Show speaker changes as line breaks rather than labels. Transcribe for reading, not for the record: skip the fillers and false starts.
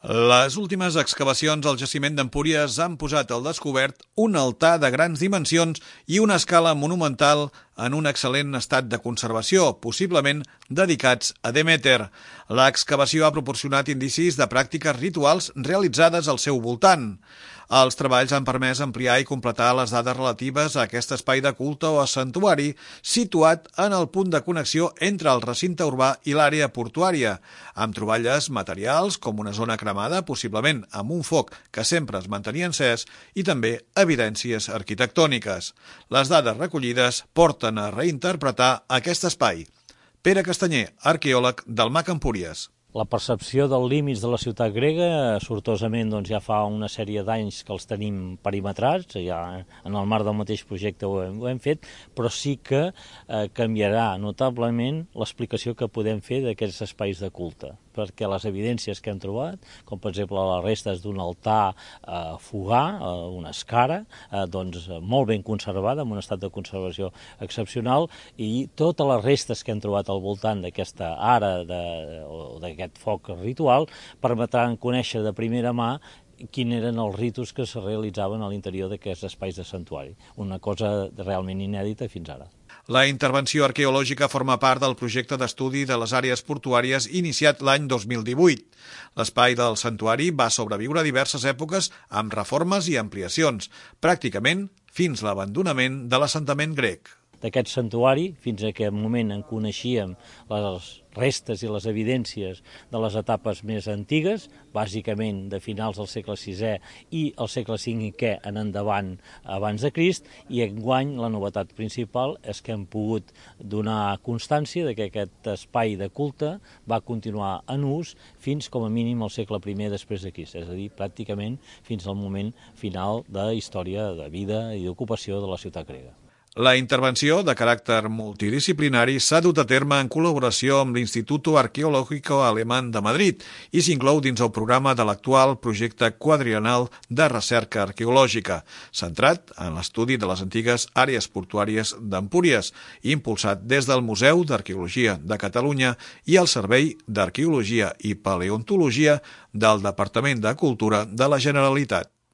Les últimes excavacions al jaciment d'Empúries han posat al descobert un altar de grans dimensions i una escala monumental en un excel·lent estat de conservació, possiblement dedicats a Deméter. L'excavació ha proporcionat indicis de pràctiques rituals realitzades al seu voltant. Els treballs han permès ampliar i completar les dades relatives a aquest espai de culte o santuari situat en el punt de connexió entre el recinte urbà i l'àrea portuària, amb troballes materials com una zona cremada, possiblement amb un foc que sempre es mantenia encès, i també evidències arquitectòniques. Les dades recollides porten a reinterpretar aquest espai. Pere Castanyer, arqueòleg del MAC Empúries.
La percepció dels límits de la ciutat grega, sortosament ja fa una sèrie d'anys que els tenim perimetrats, ja en el marc del mateix projecte ho hem fet, però sí que canviarà notablement l'explicació que podem fer d'aquests espais de culte, perquè les evidències que hem trobat, com per exemple les restes d'un altar fogà, una escara, molt ben conservada, en un estat de conservació excepcional, i totes les restes que hem trobat al voltant d'aquesta ara o d'aquest foc ritual permetran conèixer de primera mà quins eren els ritus que es realitzaven a l'interior d'aquests espais de santuari. Una cosa realment inèdita fins ara.
La intervenció arqueològica forma part del projecte d'estudi de les àrees portuàries iniciat l'any 2018. L'espai del santuari va sobreviure a diverses èpoques amb reformes i ampliacions, pràcticament fins l'abandonament de l'assentament grec.
D'aquest santuari, fins a aquest moment en coneixíem les restes i les evidències de les etapes més antigues, bàsicament de finals del segle VI i el segle V en endavant abans de Crist, i enguany la novetat principal és que hem pogut donar constància de que aquest espai de culte va continuar en ús fins com a mínim al segle I després de Crist, és a dir, pràcticament fins al moment final de història de vida i d'ocupació de la ciutat grega.
La intervenció, de caràcter multidisciplinari, s'ha dut a terme en col·laboració amb l'Instituto Arqueológico Alemán de Madrid i s'inclou dins el programa de l'actual projecte quadriennal de recerca arqueològica, centrat en l'estudi de les antigues àrees portuàries d'Empúries, impulsat des del Museu d'Arqueologia de Catalunya i el Servei d'Arqueologia i Paleontologia del Departament de Cultura de la Generalitat.